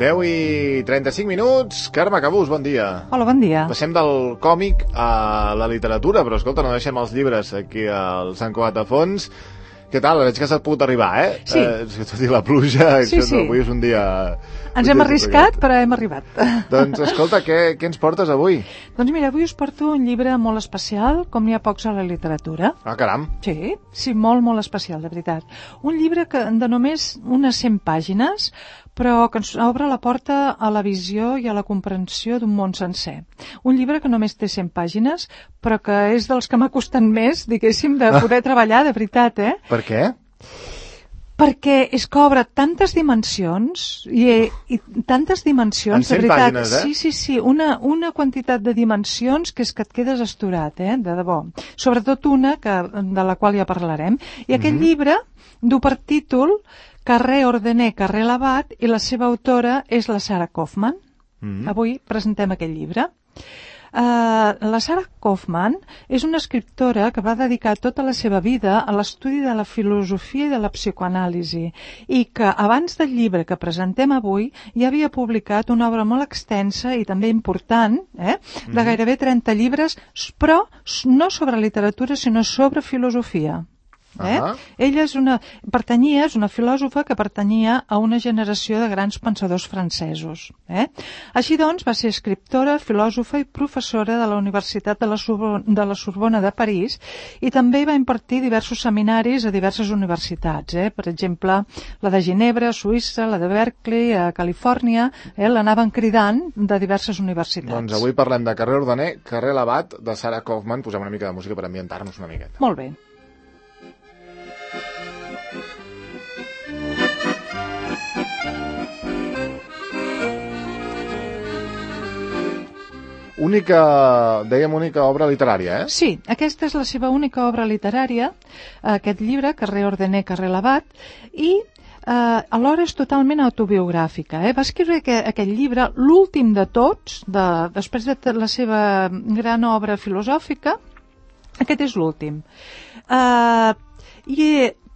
10:35. Carme Cabús, bon dia. Hola, bon dia. Passem del còmic a la literatura, però escolta, no deixem els llibres aquí al Sant Cugat a fons. Què tal? Veig que s'ha pogut arribar, eh? Sí. Tot i la pluja, sí. Avui és un dia... Ens hem arriscat, però hem arribat. Doncs, escolta, què ens portes avui? Doncs mira, avui us porto un llibre molt especial, com n'hi ha pocs a la literatura. Ah, caram. Sí, molt especial, de veritat. Un llibre de només unes 100 pàgines, però que ens obre la porta a la visió i a la comprensió d'un món sencer. Un llibre que només té 100 pàgines, però que és dels que m'ha costat més, diguéssim, de poder treballar, de veritat, eh? Per què? Perquè és que obre tantes dimensions, i tantes dimensions, en 100 de veritat. pàgines, Sí, una quantitat de dimensions que és que et quedes astorat, de debò. Sobretot una, de la qual ja parlarem. I aquest llibre du per títol Carrer Ordener, carrer Labat, i la seva autora és la Sarah Kaufman. Avui presentem aquest llibre. La Sarah Kaufman és una escriptora que va dedicar tota la seva vida a l'estudi de la filosofia i de la psicoanàlisi i que abans del llibre que presentem avui ja havia publicat una obra molt extensa i també important, de gairebé 30 llibres, però no sobre literatura sinó sobre filosofia. Ella és una filòsofa que pertanyia a una generació de grans pensadors francesos. Així doncs, va ser escriptora, filòsofa i professora de la Universitat de la Sorbona de París i també va impartir diversos seminaris a diverses universitats, per exemple, la de Ginebra, a Suïssa, la de Berkeley, a Califòrnia, l'anaven cridant de diverses universitats. Doncs avui parlem de Carrer Ordener, carrer Labat, de Sarah Kaufman. Posem una mica de música per ambientar-nos una miqueta. Molt bé. Dèiem única obra literària, eh? Sí, aquesta és la seva única obra literària, aquest llibre, Carrer Ordener, carrer Labat, i alhora és totalment autobiogràfica. Va escriure aquest llibre, l'últim de tots, després de la seva gran obra filosòfica, aquest és l'últim.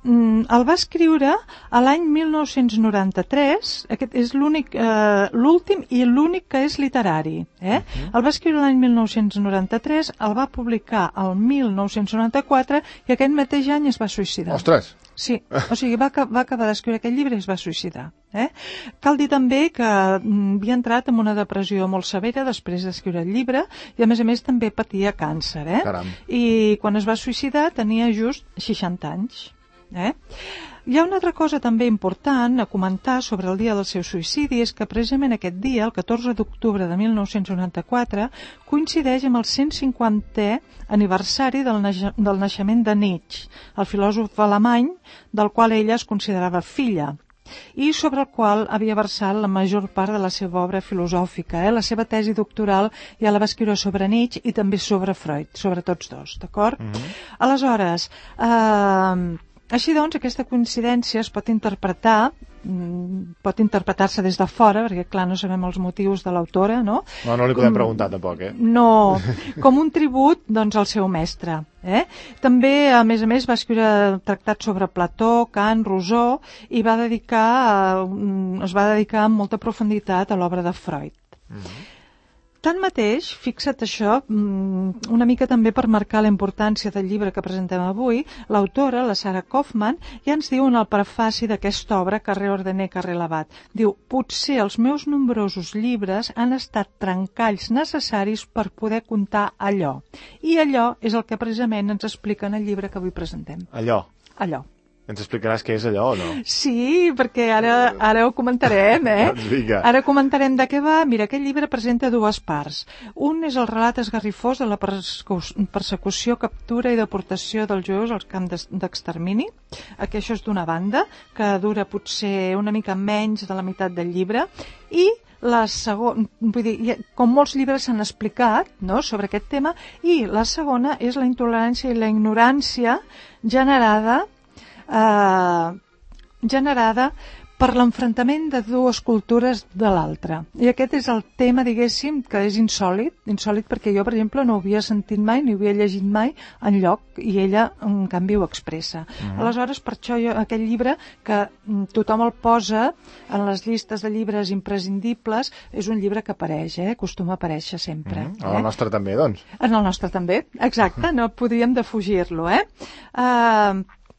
El va escriure a l'any 1993, aquest és l'últim i l'únic que és literari. El va escriure l'any 1993, el va publicar el 1994 i aquest mateix any es va suïcidar. Ostres! Sí, o sigui, va acabar d'escriure aquest llibre i es va suïcidar. Cal dir també que havia entrat en una depressió molt severa després d'escriure el llibre i a més també patia càncer. I quan es va suïcidar tenia just 60 anys. Hi ha una altra cosa també important a comentar sobre el dia del seu suïcidi, és que precisament aquest dia, el 14 d'octubre de 1994, coincideix amb el 150è aniversari del naixement de Nietzsche, el filòsof alemany del qual ella es considerava filla i sobre el qual havia versat la major part de la seva obra filosòfica. La seva tesi doctoral ja la va escriure sobre Nietzsche i també sobre Freud, sobre tots dos, d'acord? Aleshores, així doncs, aquesta coincidència es pot interpretar-se des de fora, perquè clar, no sabem els motius de l'autora, no? No li podem preguntar tampoc, No, com un tribut, doncs, al seu mestre. També, a més, va escriure tractats sobre Plató, Kant, Rousseau, i es va dedicar amb molta profunditat a l'obra de Freud. Tanmateix, fixa't això, una mica també per marcar la importància del llibre que presentem avui, l'autora, la Sarah Kaufman, ja ens diu en el prefaci d'aquesta obra, Carrer Ordener, carrer Labat. Diu, potser els meus nombrosos llibres han estat trencalls necessaris per poder contar allò. I allò és el que precisament ens explica en el llibre que avui presentem. Allò. Ens explicaràs què és allò o no? Sí, perquè ara ho comentarem, Ara comentarem de què va. Mira, aquest llibre presenta dues parts. Un és el relat esgarrifós de la persecució, captura i deportació dels jueus als camps d'extermini. Això és d'una banda, que dura potser una mica menys de la meitat del llibre, i la segona, vull dir, com molts llibres s'han explicat, no?, sobre aquest tema, i la segona és la intolerància i la ignorància generada per l'enfrontament de dues cultures de l'altra. I aquest és el tema, diguéssim, que és insòlit perquè jo, per exemple, no ho havia sentit mai, ni ho havia llegit mai enlloc, i ella, en canvi, ho expressa. Aleshores, per això aquest llibre, que tothom el posa en les llistes de llibres imprescindibles, és un llibre que apareix, acostuma a aparèixer sempre. En el nostre també, doncs. En el nostre també, exacte, no podríem defugir-lo,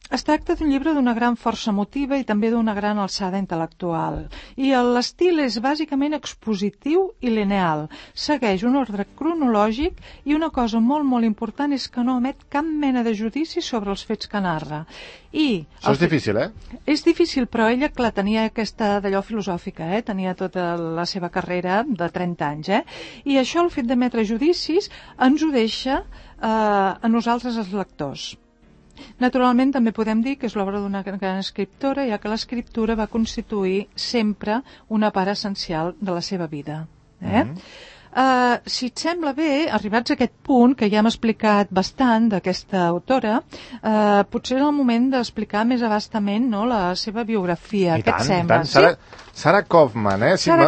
Es tracta d'un llibre d'una gran força emotiva i també d'una gran alçada intel·lectual. I l'estil és bàsicament expositiu i lineal. Segueix un ordre cronològic i una cosa molt, molt important és que no emet cap mena de judici sobre els fets que narra. Això és difícil, És difícil, però ella, clar, tenia aquesta d'allò filosòfica, tenia tota la seva carrera de 30 anys, I això, el fet d'emetre judicis, ens ho deixa a nosaltres, els lectors. Naturalment, també podem dir que és l'obra d'una gran escriptora, ja que l'escriptura va constituir sempre una part essencial de la seva vida. Si et sembla bé, arribats a aquest punt, que ja hem explicat bastant d'aquesta autora, potser és el moment d'explicar més abastament la seva biografia. Què et sembla? Sara Kaufman,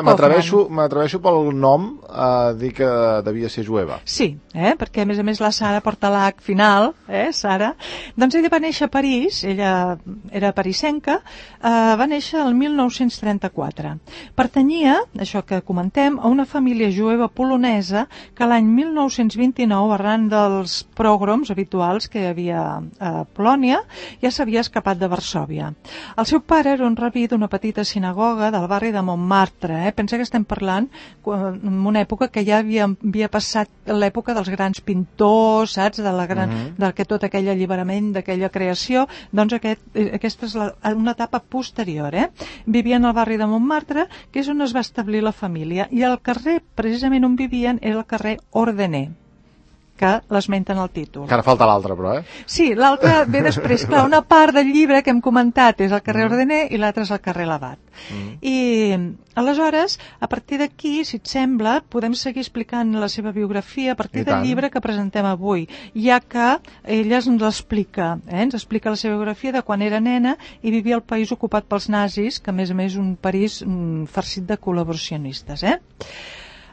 m'atreveixo pel nom a dir que devia ser jueva. Sí, perquè a més la Sara porta l'H final, Sara. Doncs ella va néixer a París, ella era parisenca, va néixer el 1934. Pertanyia, això que comentem, a una família jueva polonesa que l'any 1929, arran dels pogroms habituals que hi havia a Polònia, ja s'havia escapat de Varsòvia. El seu pare era un rabí d'una petita sinagoga del barri de Montmartre. Pensa que estem parlant en una època que ja havia passat l'època dels grans pintors, saps? De tot aquell alliberament, d'aquella creació. Doncs aquesta és una etapa posterior. Vivien al barri de Montmartre, que és on es va establir la família. I el carrer, precisament on vivien, era el carrer Ordener, que l'esmenten al títol. Que ara falta l'altre, però, Sí, l'altre ve després. Clar, una part del llibre que hem comentat és el carrer Ordener i l'altre és el carrer Labat. I aleshores, a partir d'aquí, si et sembla, podem seguir explicant la seva biografia a partir del llibre que presentem avui, ja que ella ens l'explica, ens explica la seva biografia de quan era nena i vivia al país ocupat pels nazis, que a més és un París farcit de col·laboracionistes.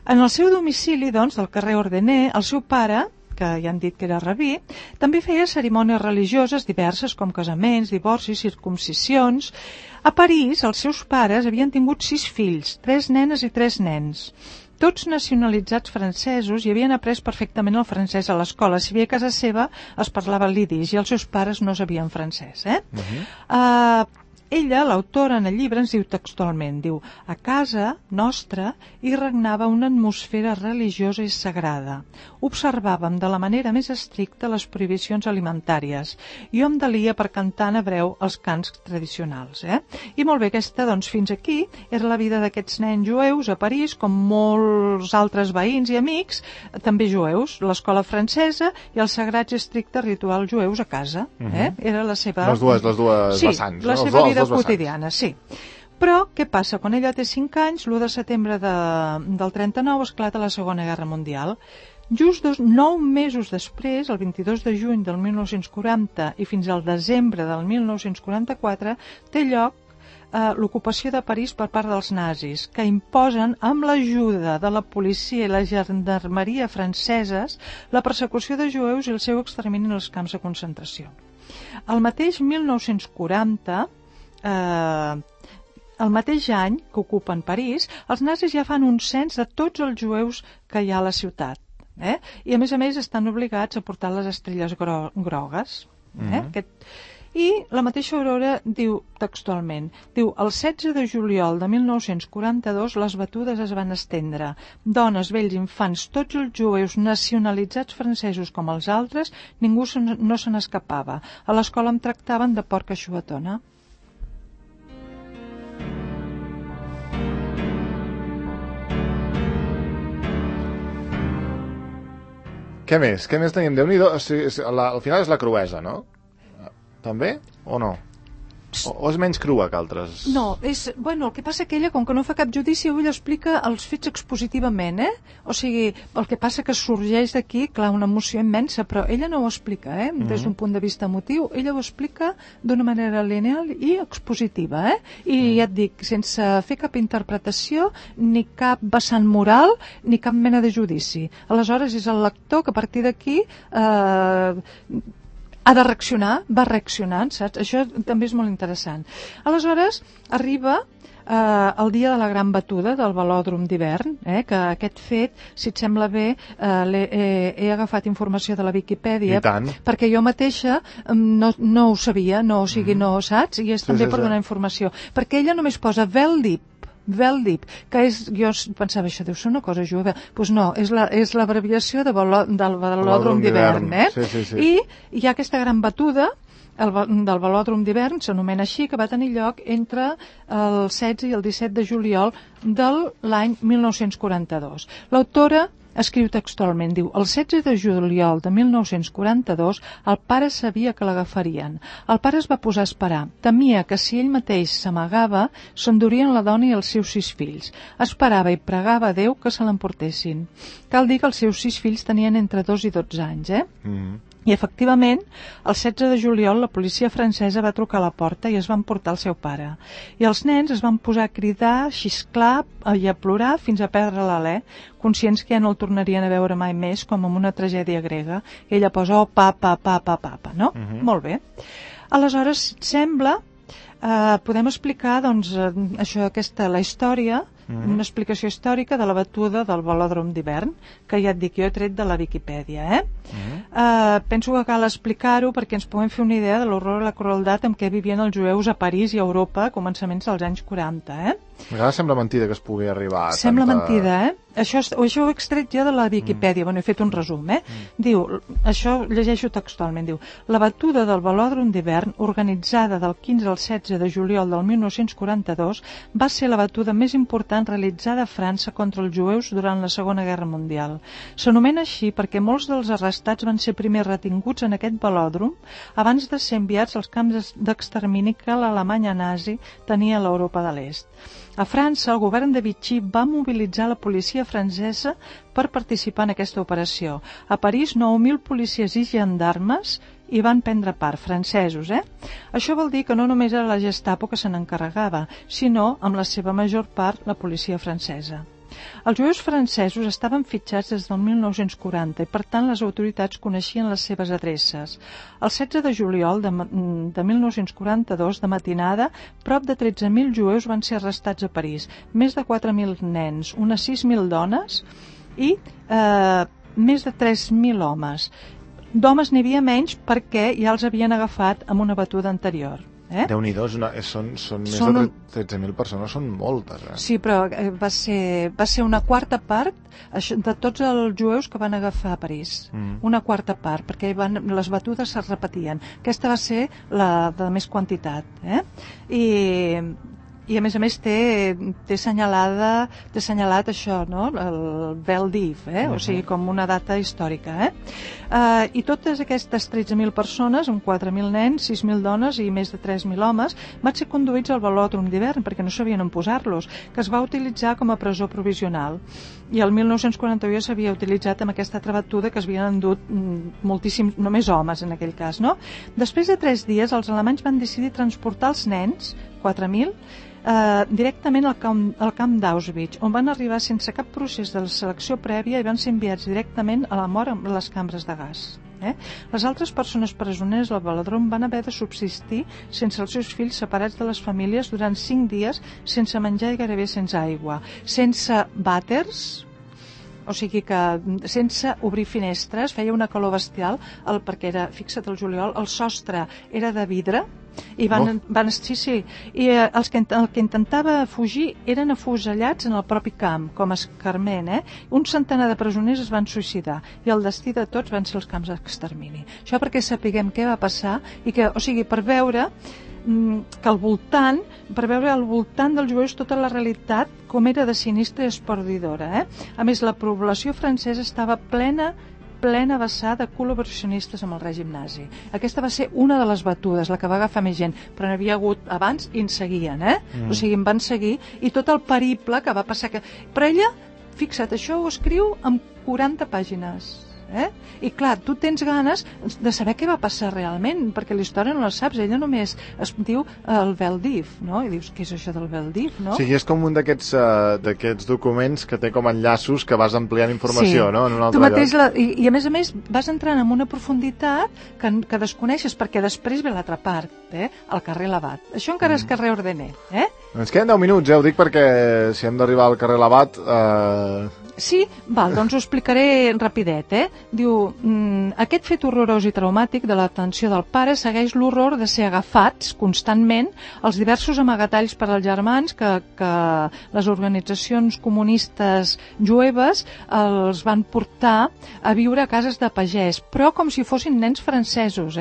En el seu domicili, doncs, del carrer Ordener, el seu pare, que ja han dit que era rabí, també feia cerimònies religioses diverses com casaments, divorcis, circumcisions. A París, els seus pares havien tingut 6 fills, 3 nenes i 3 nens. Tots nacionalitzats francesos i havien après perfectament el francès a l'escola. Si bé a casa seva es parlava l'idis i els seus pares no sabien francès. Ella, l'autora, en el llibre ens diu textualment, diu: a casa nostra hi regnava una atmosfera religiosa i sagrada. Observàvem de la manera més estricta les prohibicions alimentàries. Jo em delia per cantar en hebreu els cants tradicionals. I molt bé, aquesta, doncs, fins aquí era la vida d'aquests nens jueus a París, com molts altres veïns i amics, també jueus, l'escola francesa i els sagrats i estrictes rituals jueus a casa. Era la seva... Les dues vessants. Sí, la seva vida quotidiana, sí. Però, què passa? Quan ella té 5 anys, l'1 de setembre del 39 esclata la Segona Guerra Mundial. Just 9 mesos després, el 22 de juny del 1940 i fins al desembre del 1944, té lloc l'ocupació de París per part dels nazis, que imposen, amb l'ajuda de la policia i la gendarmeria franceses, la persecució de jueus i el seu extermini en els camps de concentració. El mateix 1940, el mateix any que ocupen París, els nazis ja fan un cens de tots els jueus que hi ha a la ciutat. I a més estan obligats a portar les estrelles grogues. I la mateixa Aurora diu textualment, diu: el 16 de juliol de 1942 les batudes es van estendre. Dones, vells, infants, tots els jueus nacionalitzats francesos com els altres, ningú no se n'escapava. A l'escola em tractaven de porca xuetona. Què més tenim? Déu-n'hi-do, al final és la cruesa, no? També o no? O és menys crua que altres? No, el que passa que ella, com que no fa cap judici, ella explica els fets expositivament, O sigui, el que passa que sorgeix d'aquí, clar, una emoció immensa, però ella no ho explica, des d'un punt de vista emotiu, ella ho explica d'una manera lineal i expositiva, I ja et dic, sense fer cap interpretació, ni cap vessant moral, ni cap mena de judici. Aleshores, és el lector que a partir d'aquí ha de reaccionar, va reaccionant, saps? Això també és molt interessant. Aleshores, arriba el dia de la gran batuda del velòdrom d'hivern, que aquest fet, si et sembla bé, he agafat informació de la Viquipèdia, perquè jo mateixa no ho sabia, no, saps? I és també per donar informació. Perquè ella només posa Veldip, que jo pensava, això deu ser una cosa jueva. Doncs no, és l'abreviació del velòdrom d'hivern, I hi ha aquesta gran batuda del velòdrom d'hivern, s'anomena així, que va tenir lloc entre el 16 i el 17 de juliol de l'any 1942. L'autora escriu textualment, diu: el 16 de juliol de 1942 el pare sabia que l'agafarien. El pare es va posar a esperar. Temia que si ell mateix s'amagava, s'endurien la dona i els seus 6 fills. Esperava i pregava a Déu que se l'emportessin. Cal dir que els seus 6 fills tenien entre 2 i 12 anys, I efectivament, el 16 de juliol la policia francesa va trucar a la porta i es van portar el seu pare. I els nens es van posar a cridar, a xisclar i a plorar fins a perdre l'alè, conscients que ja no el tornarien a veure mai més, com en una tragèdia grega. I ella posa, papa, no? Molt bé. Aleshores, si et sembla, podem explicar, doncs, la història, una explicació històrica de la batuda del velòdrom d'hivern, que ja et dic, jo he tret de la Viquipèdia, penso que cal explicar-ho perquè ens puguem fer una idea de l'horror i la crueltat amb què vivien els jueus a París i a Europa a començaments dels anys 40, A vegades sembla mentida que es pugui arribar a Sembla mentida, Això ho he extret jo de la Viquipèdia, he fet un resum, Diu, això llegeixo textualment, diu: la batuda del velòdrom d'hivern, organitzada del 15 al 16 de juliol del 1942, va ser la batuda més important realitzada a França contra els jueus durant la Segona Guerra Mundial. S'anomena així perquè molts dels arrestats van ser primer retinguts en aquest velòdrom abans de ser enviats als camps d'extermini que l'Alemanya nazi tenia a l'Europa de l'Est. A França, el govern de Vichy va mobilitzar la policia francesa per participar en aquesta operació. A París, 9.000 policies i gendarmes hi van prendre part, francesos, Això vol dir que no només era la Gestapo que se n'encarregava, sinó, amb la seva major part, la policia francesa. Els jueus francesos estaven fitxats des del 1940 i, per tant, les autoritats coneixien les seves adreces. El 16 de juliol de 1942, de matinada, prop de 13.000 jueus van ser arrestats a París, més de 4.000 nens, unes 6.000 dones i més de 3.000 homes. D'homes n'hi havia menys perquè ja els havien agafat amb una batuda anterior. Déu-n'hi-do, són més de 13.000 persones, són moltes. Sí, però va ser una quarta part de tots els jueus que van agafar a París. Una quarta part, perquè les batudes es repetien. Aquesta va ser la de més quantitat. I a més té assenyalat això, no? El Veldiv, o sigui, com una data històrica. I totes aquestes 13.000 persones, amb 4.000 nens, 6.000 dones i més de 3.000 homes, van ser conduïts al velòdrom d'hivern perquè no sabien on posar-los, que es va utilitzar com a presó provisional. I el 1941 ja s'havia utilitzat amb aquesta altra batuda que es havien endut moltíssims, només homes en aquell cas, no? Després de 3 dies, els alemanys van decidir transportar els nens, 4.000, directament al camp d'Auschwitz, on van arribar sense cap procés de selecció prèvia i van ser enviats directament a la mort amb les cambres de gas. Les altres persones presoneres al velòdrom van haver de subsistir sense els seus fills, separats de les famílies durant 5 dies, sense menjar i gairebé sense aigua, sense vàters, o sigui que sense obrir finestres, feia una calor bestial, perquè era, fixa't, el juliol, el sostre era de vidre, i el que intentava fugir eren afusellats en el propi camp, com a escarment. Un centenar de presoners es van suïcidar i el destí de tots van ser els camps d'extermini. Això perquè sapiguem què va passar i que, o sigui, per veure que al voltant dels jueus tota la realitat com era de sinistra i espordidora. A més, la població francesa estava plena plena vessar de col·laboracionistes amb el règim nazi. Aquesta va ser una de les batudes, la que va agafar més gent, però n'havia hagut abans i en seguien, o sigui, en van seguir, i tot el periple que va passar... Però ella, fixa't, això ho escriu amb 40 pàgines. I clar, tu tens ganes de saber què va passar realment, perquè la història no la saps, ella només es diu el Veldiv, no? I dius, què és això del Veldiv, no? Sí, és com un d'aquests documents que té com enllaços que vas ampliant informació, no? En un altre tu mateix lloc. I a més vas entrant en una profunditat que desconeixes, perquè després ve l'altra part, el carrer Labat. Això encara és carrer Ordener, Ens queden 10 minuts, ho dic perquè si hem d'arribar al carrer Labat... Sí, val, doncs ho explicaré rapidet, Diu, aquest fet horrorós i traumàtic de la detenció del pare segueix l'horror de ser agafats constantment els diversos amagatalls per als germans que les organitzacions comunistes jueves els van portar a viure a cases de pagès, però com si fossin nens francesos,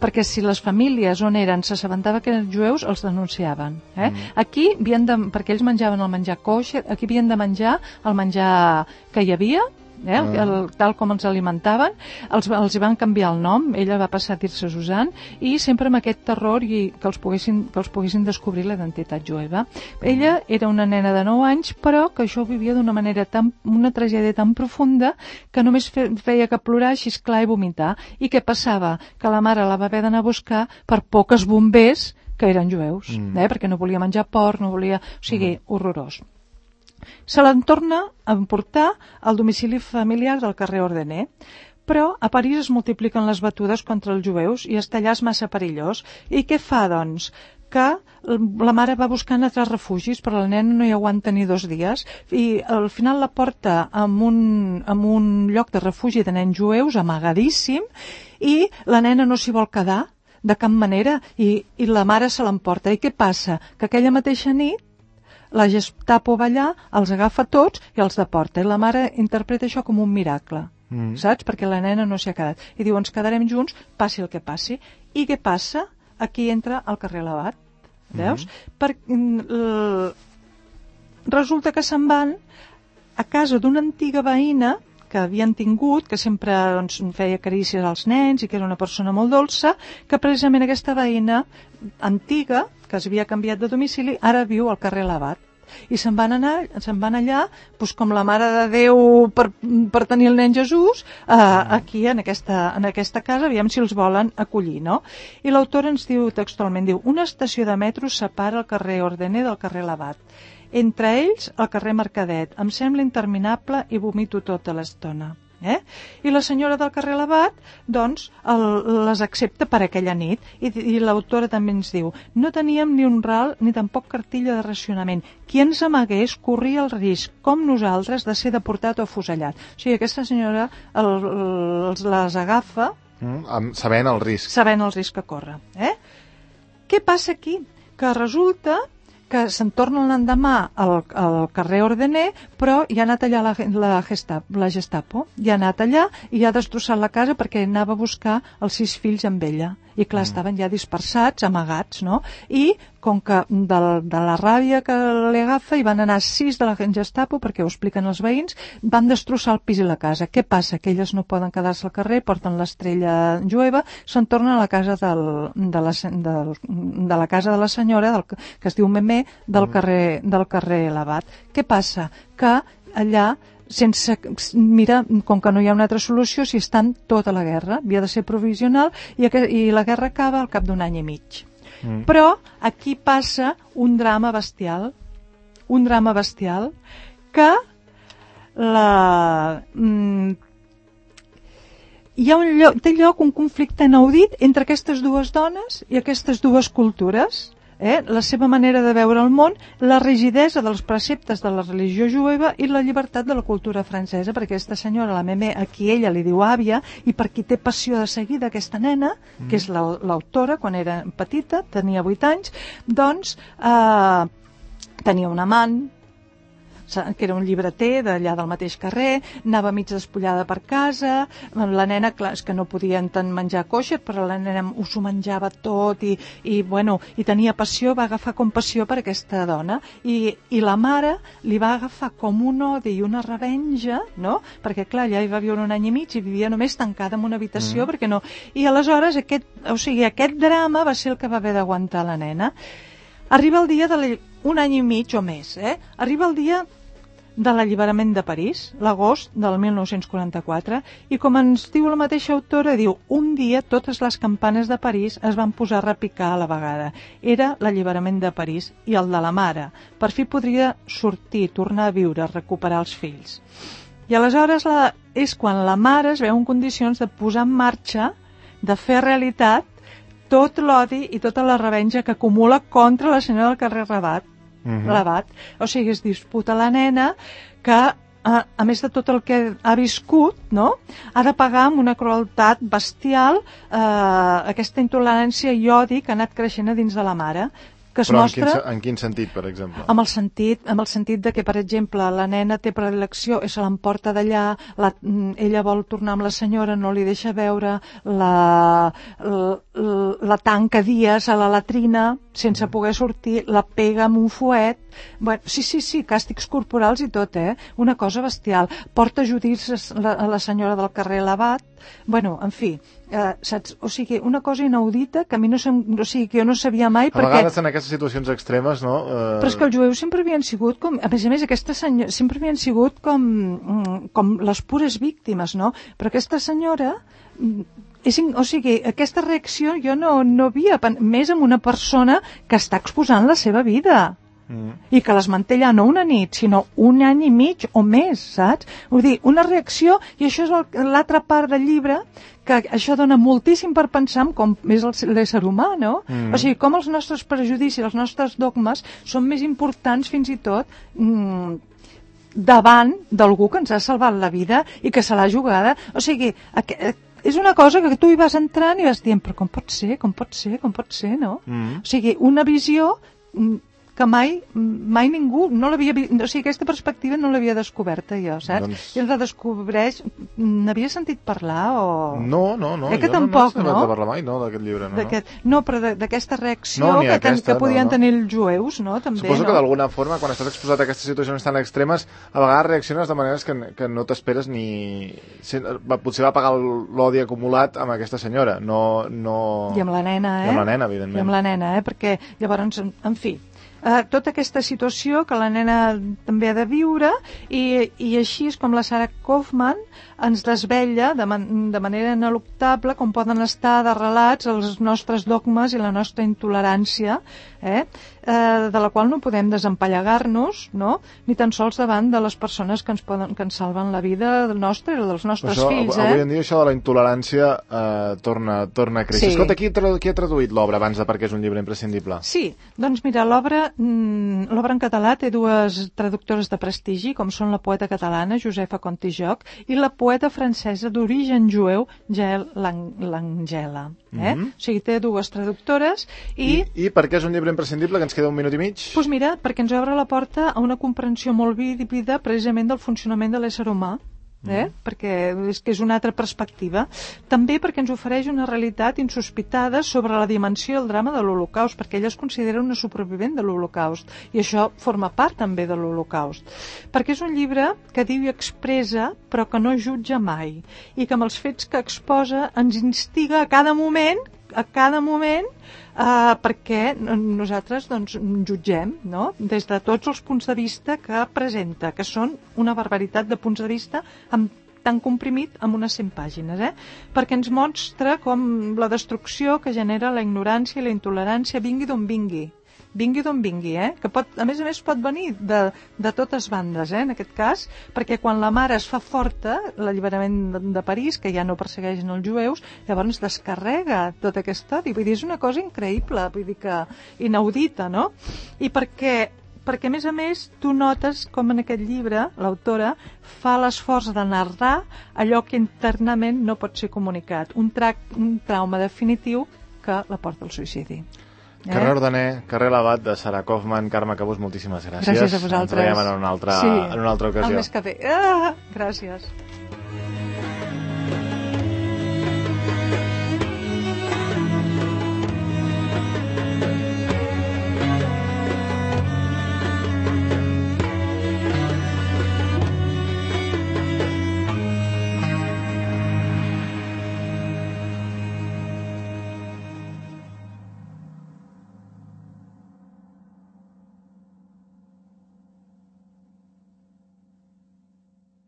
perquè si les famílies on eren s'assabentava que eren jueus, els denunciaven. Aquí, perquè ells menjaven el menjar kosher, aquí havien de menjar el menjar que hi havia, tal com els alimentaven, els hi van canviar el nom, ella va passar a dir-se Susan, i sempre amb aquest terror i que els poguessin descobrir la identitat jueva. Ella era una nena de 9 anys, però que això ho vivia d'una manera una tragèdia tan profunda que només feia que plorar, xisclar i vomitar. I què passava? Que la mare la va haver d'anar a buscar per por que es bombés que eren jueus, perquè no volia menjar porc, no volia... O sigui, horrorós. Se l'en torna a emportar al domicili familiar del carrer Ordener, però a París es multipliquen les batudes contra els jueus i estar allà és massa perillós. I què fa, doncs? Que la mare va buscant altres refugis, però la nena no hi aguanta ni 2 dies, i al final la porta en un lloc de refugi de nens jueus, amagadíssim, i la nena no s'hi vol quedar de cap manera, i la mare se l'emporta. I què passa? Que aquella mateixa nit la Gestapo va allà, els agafa tots i els deporta. I la mare interpreta això com un miracle, saps? Perquè la nena no s'hi ha quedat. I diu, ens quedarem junts, passi el que passi. I què passa? Aquí entra el carrer Labat, veus? Resulta que se'n van a casa d'una antiga veïna que havien tingut, que sempre feia carícies als nens i que era una persona molt dolça, que precisament aquesta veïna antiga, que es havia canviat de domicili, ara viu al carrer Labat. I se'n van allà, doncs com la Mare de Déu per tenir el nen Jesús, aquí en aquesta casa, aviam si els volen acollir, no? I l'autora ens diu textualment, una estació de metro separa el carrer Ordener del carrer Labat. Entre ells, el carrer Mercadet. Em sembla interminable i vomito tota l'estona. I la senyora del carrer Labat, doncs, les accepta per aquella nit. I l'autora també ens diu, no teníem ni un ral ni tampoc cartilla de racionament. Qui ens amagués corria el risc, com nosaltres, de ser deportat o afusellat. O sigui, aquesta senyora les agafa... Sabent el risc. Sabent el risc que corre. Què passa aquí? Que resulta que se'n torna l'endemà al carrer Ordener, però hi ha anat allà la Gestapo, hi ha anat allà i ha destrossat la casa perquè anava a buscar els 6 fills amb ella. I clar, estaven ja dispersats, amagats, no? I com que de la ràbia que li agafa hi van anar 6 de la Gestapo, perquè ho expliquen els veïns, van destrossar el pis i la casa. Què passa? Que elles no poden quedar-se al carrer, porten l'estrella jueva, se'n tornen a la casa de la casa de la senyora, que es diu Memé, del carrer Labat. Què passa? Que allà mira, com que no hi ha una altra solució, si estan tota la guerra, havia de ser provisional, i la guerra acaba al cap d'un any i mig. Però aquí passa un drama bestial, que té lloc un conflicte inaudit entre aquestes dues dones i aquestes dues cultures. La seva manera de veure el món, la rigidesa dels preceptes de la religió jueva i la llibertat de la cultura francesa, perquè aquesta senyora, la Memé, a qui ella li diu àvia, i per qui té passió de seguir d'aquesta nena, que és l'autora, quan era petita, tenia 8 anys, doncs tenia un amant, que era un llibreter d'allà del mateix carrer, anava mig despullada per casa, la nena, clar, és que no podien tant menjar kosher, però la nena s'ho menjava tot i tenia passió, va agafar compassió per aquesta dona i la mare li va agafar com un odi i una revenja, no? Perquè clar, ella hi va viure un any i mig i vivia només tancada en una habitació perquè no... I aleshores aquest drama va ser el que va haver d'aguantar la nena. Arriba el dia un any i mig o més, arriba el dia de l'alliberament de París, l'agost del 1944, i com ens diu la mateixa autora, diu, un dia totes les campanes de París es van posar a repicar a la vegada. Era l'alliberament de París i el de la mare. Per fi podria sortir, tornar a viure, recuperar els fills. I aleshores és quan la mare es veu en condicions de posar en marxa, de fer realitat, tot l'odi i tota la revenja que acumula contra la senyora del carrer Rabat. O sigui, es disputa la nena que, a més de tot el que ha viscut, no? Ha de pagar amb una crueltat bestial aquesta intolerància i odi que ha anat creixent a dins de la mare. Que es Però mostra... en quin sentit, per exemple? Amb el sentit de que, per exemple, la nena té predilecció i se l'emporta d'allà, ella vol tornar amb la senyora, no li deixa veure, la tanca dies a la latrina sense poder sortir, la pega amb un fuet. Bueno, sí, càstigs corporals i tot, una cosa bestial. Porta judicis a la senyora del carrer Labat. Bueno, en fi, saps? O sigui, una cosa inaudita que a mi no que jo no sabia mai a vegades en aquestes situacions extremes, no? Però és que els jueus sempre havien sigut com... A més, aquesta senyora sempre havien sigut com les pures víctimes, no? Però aquesta senyora... O sigui, aquesta reacció jo no havia... Més amb una persona que està exposant la seva vida. I que les manté allà no una nit, sinó un any i mig o més, saps? Vull dir, una reacció, i això és l'altra part del llibre, que això dona moltíssim per pensar en com és l'ésser humà, no? O sigui, com els nostres prejudicis, els nostres dogmes són més importants fins i tot davant d'algú que ens ha salvat la vida i que se l'ha jugada. O sigui, és una cosa que tu hi vas entrant i vas dient, però com pot ser, no? O sigui, una visió que mai ningú no l'havia vist, o sigui, aquesta perspectiva no l'havia descoberta jo, saps? I ens la descobreix, n'havia sentit parlar o... No, que jo tampoc, no he parlat mai, d'aquest llibre, no, però d'aquesta reacció que podien tenir els jueus, no? També, suposo que d'alguna forma, quan estàs exposat a aquestes situacions tan extremes, a vegades reacciones de maneres que no t'esperes ni... Potser va pagar l'odi acumulat amb aquesta senyora, no... I amb la nena, I amb la nena, evidentment. I amb la nena, perquè llavors, en fi... tota aquesta situació que la nena també ha de viure i així és com la Sarah Kaufman ens desvetlla de manera ineluctable com poden estar arrelats els nostres dogmes i la nostra intolerància, de la qual no podem desempallegar-nos, no? Ni tan sols davant de les persones que ens salven la vida nostra i dels nostres fills. Avui en dia això de la intolerància torna a créixer. Sí. Escolta, qui ha traduït l'obra abans de perquè és un llibre imprescindible? Sí, doncs mira, l'obra en català té dues traductores de prestigi, com són la poeta catalana Josefa Contijoch i la poeta francesa d'origen jueu Jael Langella. O sigui, té dues traductores I per què és un llibre imprescindible, que ens queda un minut i mig? Doncs mira, perquè ens obre la porta a una comprensió molt vívida precisament del funcionament de l'ésser humà. Perquè és una altra perspectiva. També perquè ens ofereix una realitat insospitada sobre la dimensió i el drama de l'Holocaust, perquè ella es considera una supervivent de l'Holocaust i això forma part també de l'Holocaust, perquè és un llibre que diu i expressa però que no jutja mai i que amb els fets que exposa ens instiga a cada moment perquè nosaltres jutgem, no? Des de tots els punts de vista que presenta, que són una barbaritat de punts de vista tan comprimit amb unes 100 pàgines, perquè ens mostra com la destrucció que genera la ignorància i la intolerància vingui d'on vingui, que a més pot venir de totes bandes, en aquest cas, perquè quan la mare es fa forta, l'alliberament de París, que ja no persegueixen els jueus, llavors descarrega tota aquesta odi. Vull dir, és una cosa increïble, vull dir que inaudita, no? I perquè a més tu notes com en aquest llibre l'autora fa l'esforç de narrar allò que internament no pot ser comunicat, un trauma definitiu que la porta al suïcidi. Carrer Ordener, carrer Labat de Sara Kaufman. Carme Cabús, moltíssimes gràcies. Gràcies a vosaltres. Ens veiem en una altra ocasió. El mes que ve. Gràcies.